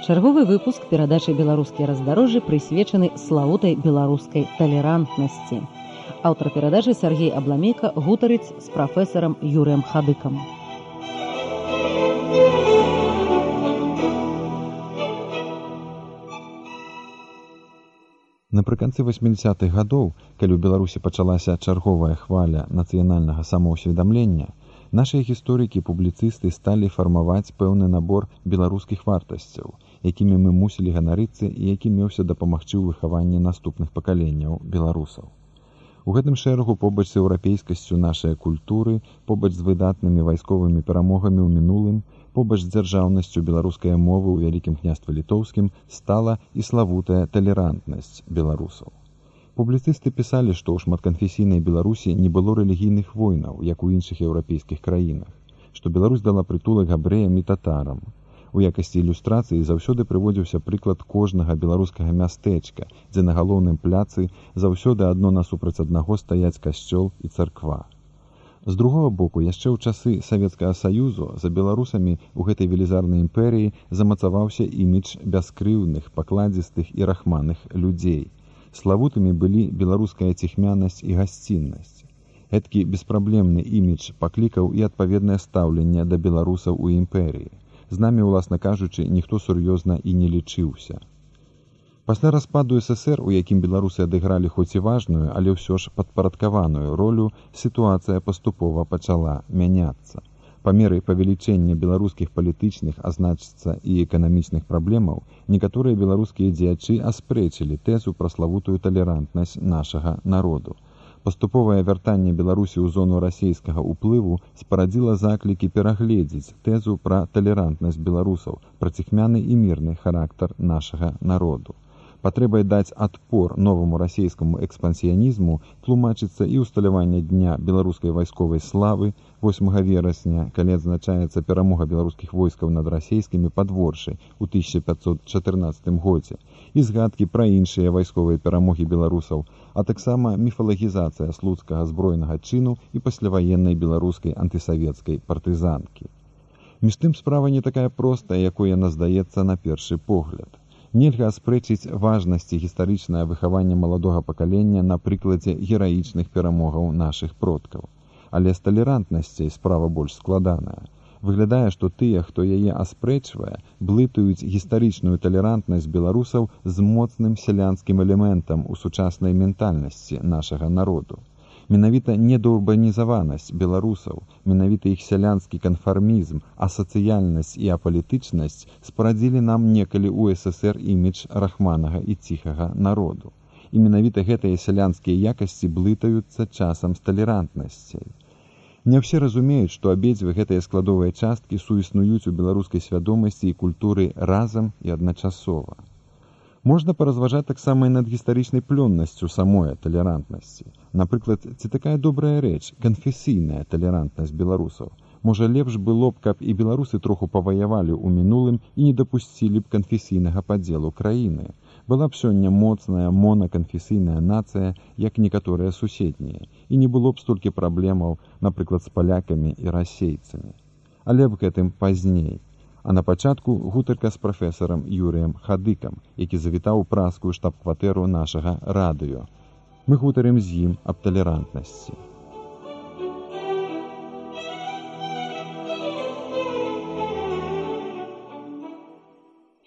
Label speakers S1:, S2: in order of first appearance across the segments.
S1: Чарговы выпуск перадачы «Беларускія раздарожжы» прысвечаны славутай беларускай талерантнасці. Аўтар перадачы Сергей Абламейка гутарыць з прафесарам Юрыем Хадыкам.
S2: Напрыканцы 80-х гадоў, калі ў Беларусі пачалася чарговая хваля нацыянальнага самаўсведамлення, нашыя гісторыкі і публіцысты сталі фармаваць пэўны набор беларускіх вартасцяў, якімі мы мусілі ганарыцца і які меўся дапамагчы ў выхаванні наступных пакаленняў беларусаў. У гэтым шэрагу побач з еўрапейскасцю нашай культуры, побач з выдатнымі вайсковымі перамогамі ў мінулым, побач з дзяржаўнасцю беларускай мовы ў Вялікім княстве літоўскім стала і славутая талерантнасць беларусаў. Публіцысты пісалі, што ў шматканфесійнай Беларусі не было рэлігійных войнаў, як у іншых еўрапейскіх краінах, што Беларусь дала прытулак габрэям і татарам. У якасці ілюстрацыі заўсёды прыводзіўся прыклад кожнага беларускага мястэчка, дзе на галоўным пляцы заўсёды адно насупраць аднаго стаяць касцёл і царква. З другога боку, яшчэ ў часы Савецкага Саюзу за беларусамі ў гэтай велізарнай імперыі замацаваўся імідж бяскрыўдных, пакладзістых і рахманых людзей. Славутымі былі беларуская ціхмянасць і гасціннасць. Гэткі беспраблемны імідж паклікаў і адпаведнае стаўленне да беларусаў у імперыі. З намі, уласна кажучы, ніхто сур'ёзна і не лічыўся. Пасля распаду ССР, у якім беларусы адыгралі хоць і важную, але ўсё ж падпарадкаваную ролю, сітуацыя паступова пачала мяняцца. Па меры павелічэння беларускіх палітычных, а значыцца і эканамічных праблемаў, некаторыя беларускія дзеячы аспрэчылі тэзу пра славутую талерантнасць нашага народу. Паступовае вяртанне Беларусі ў зону расійскага ўплыву спарадзіла заклікі перагледзець тэзу пра талерантнасць беларусаў, пра ціхмяны і мірны характар нашага народу. Патрэбай даць адпор новаму расійскаму экспансіянізму тлумачыцца і ўсталяванне дня беларускай вайсковай славы 8 верасня, калі адзначаецца перамога беларускіх войскаў над расійскімі пад Воршай у 1514 годзе, і згадкі пра іншыя вайсковыя перамогі беларусаў, а таксама міфалагізацыя слуцкага збройнага чыну і пасляваеннай беларускай антысавецкай партызанкі. Між тым справа не такая простая, якой яна здаецца на першы погляд. Нельга аспрэчыць важнасці гістарычнае выхаванне маладога пакалення на прыкладзе гераічных перамогаў нашых продкаў. Але з талерантнасцей справа больш складаная. Выглядае, што тыя, хто яе аспрэчвае, блытаюць гістарычную талерантнасць беларусаў з моцным сялянскім элементам у сучаснай ментальнасці нашага народу. Менавіта недаўрбанізаванасць беларусаў, менавіта іх сялянскі канфармізм, асацыяльнасць і апалітычнасць спарадзілі нам некалі ў ССР імідж рахманага і ціхага народу. І менавіта гэтыя сялянскія якасці блытаюцца часам з талерантнасцяй. Не ўсе разумеюць, што абедзве гэтыя складовыя часткі суіснуюць у беларускай свядомасці і культуры разам і адначасова. Можна паразважаць таксама і над гістарычнай плённасцю самой талерантнасці. Напрыклад, ці такая добрая рэч, канфесійная талерантнасць беларусаў. Можа, лепш было б, каб і беларусы троху паваявалі ў мінулым і не дапусцілі б канфесійнага падзелу краіны. Была б сёння моцная монаканфесійная нацыя, як некаторыя суседнія, і не было б столькі праблемаў, напрыклад, з палякамі і расейцамі. Але б гэтым пазней. А на пачатку гутарка з прафесарам Юрыем Хадыкам, які завітаў у празскую штаб-кватэру нашага радыё. Мы гутарым з ім аб талерантнасці.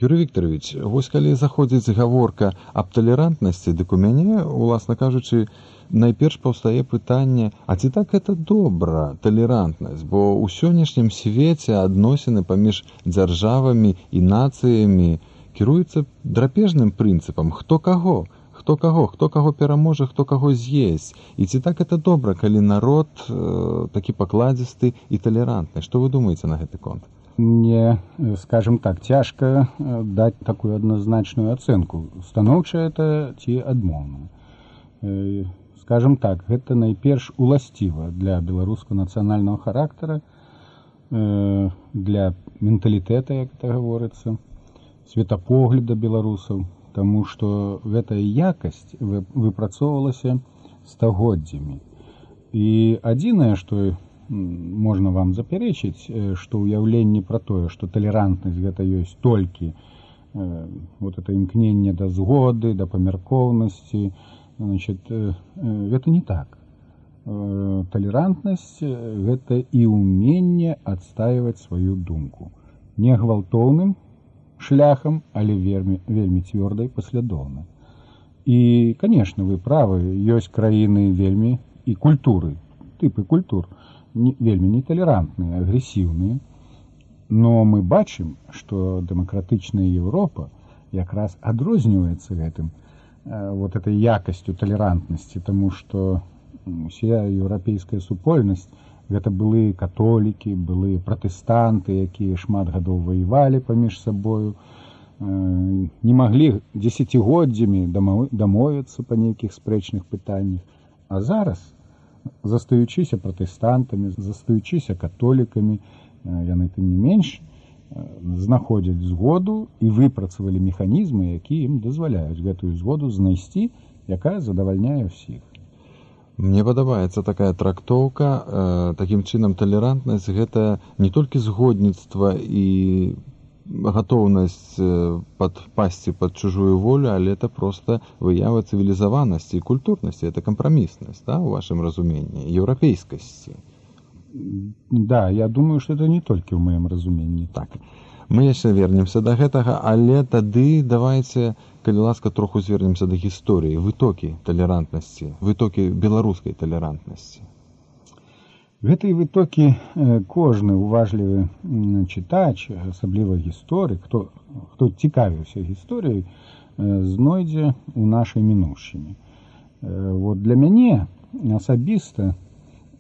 S2: Юрый Вікторович, вось калі заходзіць гаворка аб талерантнасці, дык у мяне, уласна кажучы, найперш паўстае пытанне, а ці так гэта добра, талерантнасць, бо ў сённяшнім свеце адносіны паміж дзяржавамі і нацыямі кіруюцца драпежным прынцыпам, хто каго пераможа, хто каго з'есць. І ці так гэта добра, калі народ такі пакладзісты і талерантны? Што вы думаеце на гэты конт?
S3: Мне, скажем так, цяжка даць такую адназначную ацэнку. Станоўчая это ці адмоўная. Скажем так, гэта найперш уласціва для беларускага нацыянальнага характара, для менталітэта, як это гаворыцца, светапогляда беларусаў, таму што гэтая якасць выпрацоўвалася стагоддзямі. І адзінае, што можна вам запярэчыць, што ўяўленне пра тое, што талерантнасць гэта ёсць толькі вот это імкненне да згоды, да памяркоўнасці, значит, гэта не так. Талерантнасць гэта і ўменне адстаиваць сваю думку. Не гвалтоўным шляхам, але вельмі цвёрда і паслядоўна. І, конечно, вы правы, ёсць краіны вельмі і культуры, тыпы культур, вельмі неталерантныя, агрэсіўныя. Но мы бачым, што дэмакратычная Еўропа якраз адрозніваецца гэтым, вот этой якасцю талерантнасці, таму што уся еўрапейская супольнасць гэта былыя католікі, былыя пратэстанты, якія шмат гадоў ваявалі паміж сабою, не маглі дзесяцігоддзямі дамовіцца па нейкіх спрэчных пытаннях. А зараз, застаючыся пратэстантамі, застаючыся католікамі, яны тым не менш знаходзяць згоду і выпрацавалі механізмы, якія ім дазваляюць гэтую згоду знайсці, якая задавальняе ўсіх.
S2: Мне падабаецца такая трактоўка. Такім чынам, талерантнасць гэта не толькі згодніцтва і гатоўнасць падпасці пад чужую волю, але это проста выява цывілізаванасці і культурнасці, это кампраміснасць, да, у вашым разуменні, еўрапейскасці.
S3: Да, я думаю, что это не толькі ў маім разуменні.
S2: Так. Мы яшчэ вернемся да гэтага, але тады давайце, калі ласка, троху звернемся да гісторыі, вытокі талерантнасці, вытокі беларускай талерантнасці.
S3: Гэтыя вытокі кожны уважлівы чытач, асабліва гісторык, хто цікавіўся гісторыяй, знойдзе ў нашай мінуўшчыне. Вот для мяне асабіста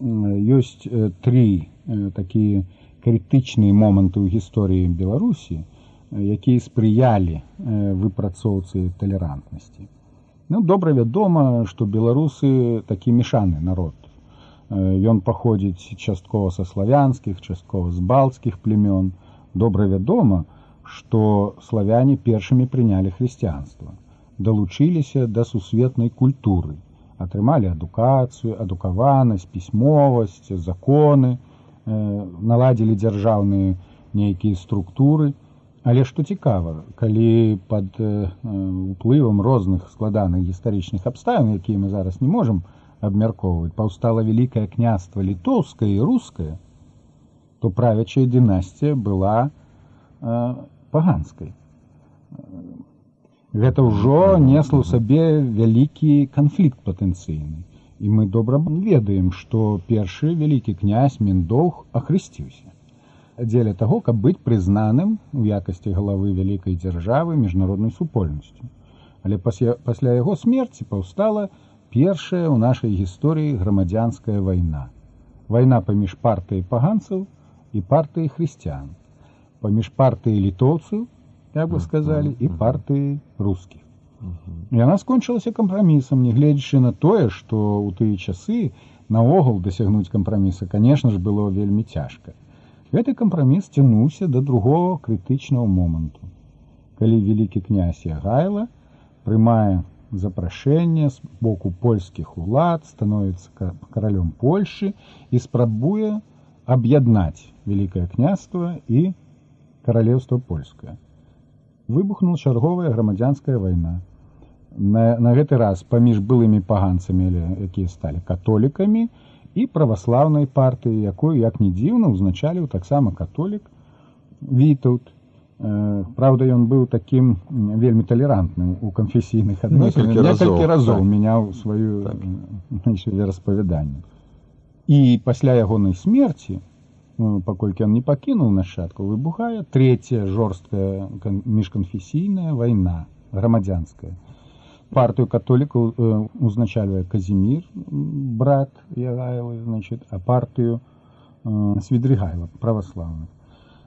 S3: ёсць тры такія крытычныя моманты ў гісторыі Беларусі, якія спрыялі выпрацоўцы талерантнасці. Добра вядома, што беларусы такі мешаны народ. Ён паходзіць часткова са славянскіх, часткова з балцкіх племён. Добра вядома, што славяне першымі прынялі хрысціянства, далучыліся да сусветнай культуры, атрымалі адукацыю, адукаванасць, пісьмовасць, законы, наладзілі дзяржаўныя нейкія структуры. Але што цікава, калі пад уплывам розных складаных гістарычных абставін, якія мы зараз не можам абмяркоўваць, паўстала вялікае княства літоўскае і рускае, то правячая дынастыя была паганскай. Гэта ўжо несло ў сабе вялікі канфлікт патэнцыйны. І мы добра ведаем, што першы вялікі князь Міндоўг ахрысціўся дзеля таго, каб быць прызнаным у якасці галавы вялікай дзяржавы міжнароднай супольнасцю. Але пасля яго смерці паўстала першая ў нашай гісторыі грамадзянская вайна. Вайна паміж партыяй паганцаў і партыяй хрысціян. Паміж партыяй літоўцаў, як бы сказалі, і партыяй рускіх. Яна скончылася кампрамісам, нягледзячы на тое, што ў тыя часы наогул дасягнуць кампраміса, конечно ж, было вельмі цяжка. Гэты кампраміс цягнуўся да другого крытычнага моманту, калі вялікі князь Ягайла прымае запрашэнне з боку польскіх улад, становіцца каралём Польшы і спрабуе аб'яднаць вялікае княства і каралеўства польскае. Выбухнула чарговая грамадзянская вайна. На гэты раз паміж былымі паганцамі, якія сталі католікамі, і праваслаўнай партыі, якую, як ні дзіўна, узначаліў таксама католік Вітаўт. Правда, ён быў такім вельмі талерантным у канфесійных адносінах. Некалькі разоў мяняў сваю вераспавяданне. І пасля ягонай смерці, паколькі ён не пакінуў нашчадкаў, выбухае трэцяя жорсткая міжканфесійная вайна, грамадзянская. Партыю католікаў узначальвае Казімір, брат Ягайлы, а партыю Свідрыгайла, праваслаўных.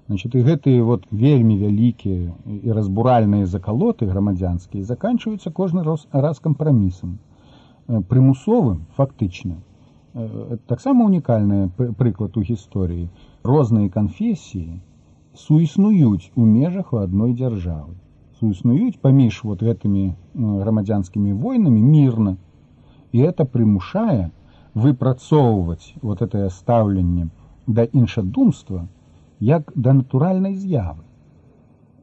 S3: І гэтыя вельмі вялікія і разбуральныя закалоты грамадзянскія заканчваюцца кожны раз кампрамісам. Прымусовым, фактычна. Таксама унікальны прыклад у гісторыі. Розныя канфесіі суіснуюць у межах у адной дзяржавы. Суіснуюць паміж гэтымі грамадзянскімі войнамі мірна. І гэта прымушае выпрацоўваць гэтае стаўленне да іншадумства як да натуральнай з'явы.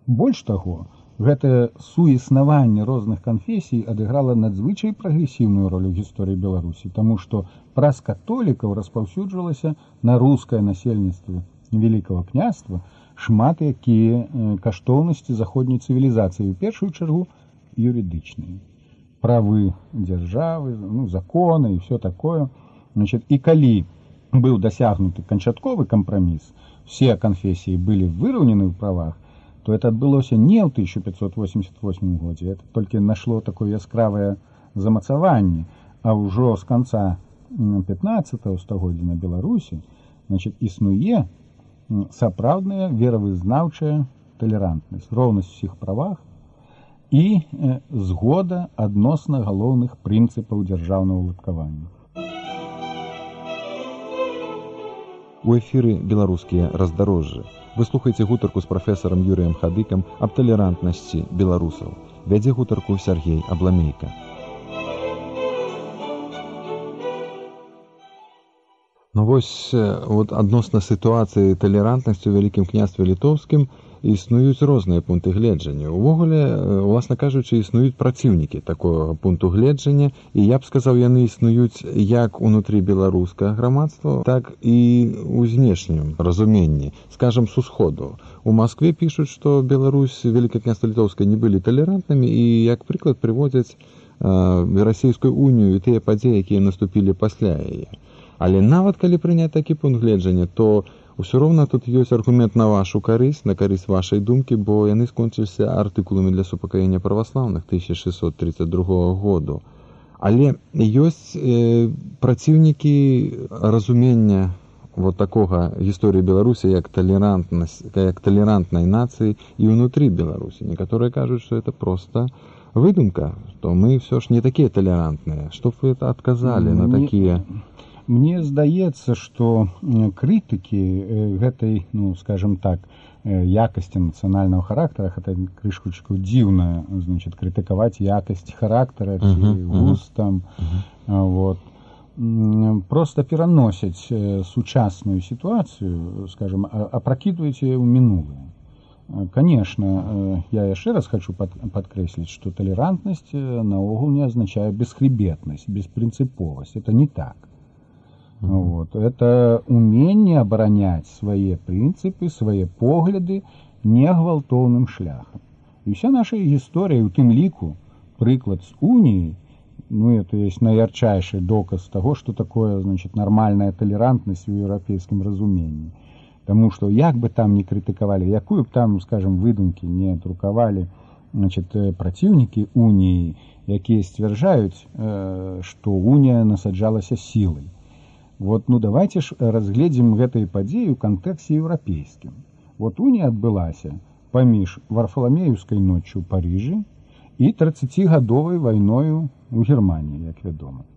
S3: Больш таго, гэтае суіснаванне розных канфесій адыграла надзвычай прагрэсіўную ролю ў гісторыі Беларусі, таму што праз католікаў распаўсюджвалася на рускае насельніцтва Великого княства шмат якія каштоўнасці заходняй цывілізацыі, у першую чаргу юрыдычныя. Правы дзяржавы, законы і все такое. Значит, і калі быў дасягнуты канчатковы кампраміс, все канфесіі былі выраўнены ў правах, то это адбылося не ў 1588 годзе, это толькі нашло такое яскравае замацаванне, а ўжо з канца 15 стагоддзя на Беларусі, значит, існуе сапраўдная веравызнаўчая талерантнасць, роўнасць усіх правах і згода адносна галоўных прынцыпаў дзяржаўнага ўладкавання.
S2: У эфіры беларускія раздарожжы. Вы слухаеце гутарку з прафесарам Юрыем Хадыкам аб талерантнасці беларусаў. Вядзе гутарку Сергей Абламейка. Вось адносна сітуацыі талерантнасці ў Вялікім княстве літоўскім існуюць розныя пункты гледжання. Увогуле, уласна кажучы, існуюць праціўнікі такога пункту гледжання, і я б сказаў, яны існуюць як унутры беларускага грамадства, так і ў знешнім разуменні, скажам, з усходу. У Маскве пішуць, што Беларусь, Вялікае княства літоўскае не былі талерантнымі, і як прыклад прыводзяць Расійскую унію і тыя падзеі, якія наступілі пасля яе. Але нават калі прыняць такі пункт гледжання, то ўсё роўна тут ёсць аргумент на вашу карысць, на карысць вашай думкі, бо яны скончыліся артыкуламі для супакаення праваслаўных 1632 году. Але ёсць праціўнікі разумення такога гісторыі Беларусі як талерантнай нацыі і ўнутры Беларусі. Некаторыя кажуць, што это проста выдумка, што мы ўсё ж не такія талерантныя. Што б вы адказалі на такія...
S3: Мне здаецца, што крытыкі гэтай, скажем так, якасці нацыянальнага характара, гэта крышкучку дзіўна, значит, крытыкаваць якасць характара ці густ там, просто пераносяць сучасную сітуацыю, скажем, апракідваюць яе ў мінулае. Конечно, я яшчэ раз хочу падкрэсліць, што талерантнасць наогул не азначае бесхребетнасць, беспрынцыповасць. Это не так. Это умение оборонять свои принципы, свои погляды негвалтоўным шляхам. И вся наша история, у тым ліку, прыклад с унией, это есть наярчайший доказ того, что такое, значит, нормальная толерантность в европейском разумении. Потому что, як бы там ни критиковали, якую бы там, скажем, выдумки не друковали, значит, противники унии, якія сцвярджаюць, что уния насаджалася силой. Давайте ж разгледзім гэтыя падзеі ў кантэксце еўрапейскім. Унія адбылася паміж Варфаламееўскай ноччу ў Парыжы і 30-гадовай вайною ў Германіі, як вядома.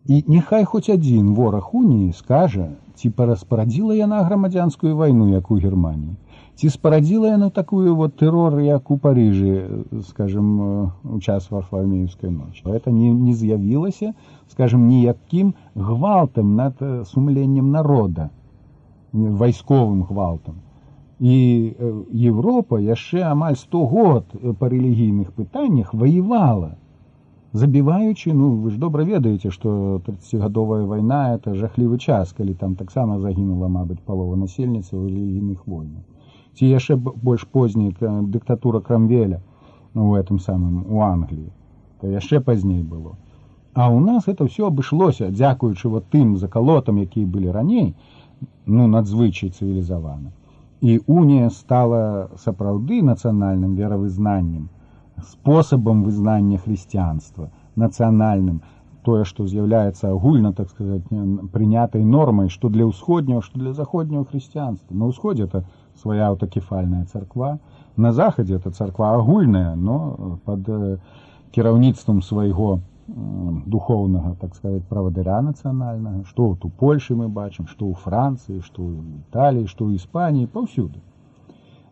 S3: І няхай хоць адзін вораг уніі скажа, ці параспарадзіла яна грамадзянскую вайну, як у Германіі, ці спарадзіла яна такую тэрор, як у Парыжы, скажем, у час Варфаламееўскай ночы. Это не з'явілася, скажем, ніякім гвалтам над сумленнем народа, вайсковым гвалтам. І Европа яшчэ амаль 100 год па рэлігійных пытаннях ваявала, забіваючы, вы ж добра ведаеце, што 30-гадовая вайна — это жахлівы час, калі там таксама загінула, мабыць, палова насельніцтва ў рэлігійных войнах. Ці яшчэ больш позней дыктатура Крамвеля у этом самым у Англіі. То яшчэ пазней было. А у нас это все абышлося, дзякуючы тым закалотам, якія былі раней, надзвычай цывілізавана. І унія стала сапраўды нацыянальным веравызнаннем, спосабам вызнання хрысціянства, нацыянальным, тое, што з'яўляецца агульна, так сказать, прынятай нормай, што для ўсходняго, што для заходняго хрысціянства. На ўсходзе это своя аўтакефальная царква, на захадзе это царква агульная, но под кіраўніцтвам свайго духоўнага, так сказать, правадыра нацыянальнага, што у Польшы мы бачым, што ў Францыі, што ў Італіі, што ў Іспаніі, паўсюды.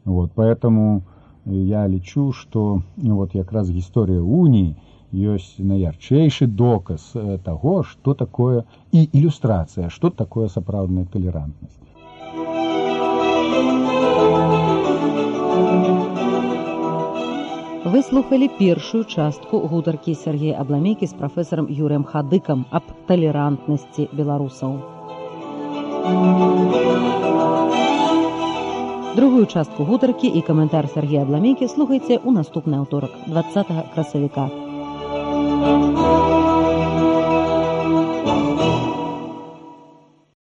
S3: Поэтому я лічу, што якраз гісторыя уніі ёсць наярчэйшы доказ таго, што такое, і ілюстрацыя, што такое сапраўдная талерантнасць.
S1: Вы слухали першую частку гутаркі Сергея Абламейкі з прафесарам Юрыем Хадыкам аб талерантнасці беларусаў. Другую частку гутаркі і каментар Сергея Абламейкі слухайце ў наступны аўторак, 20 красавіка.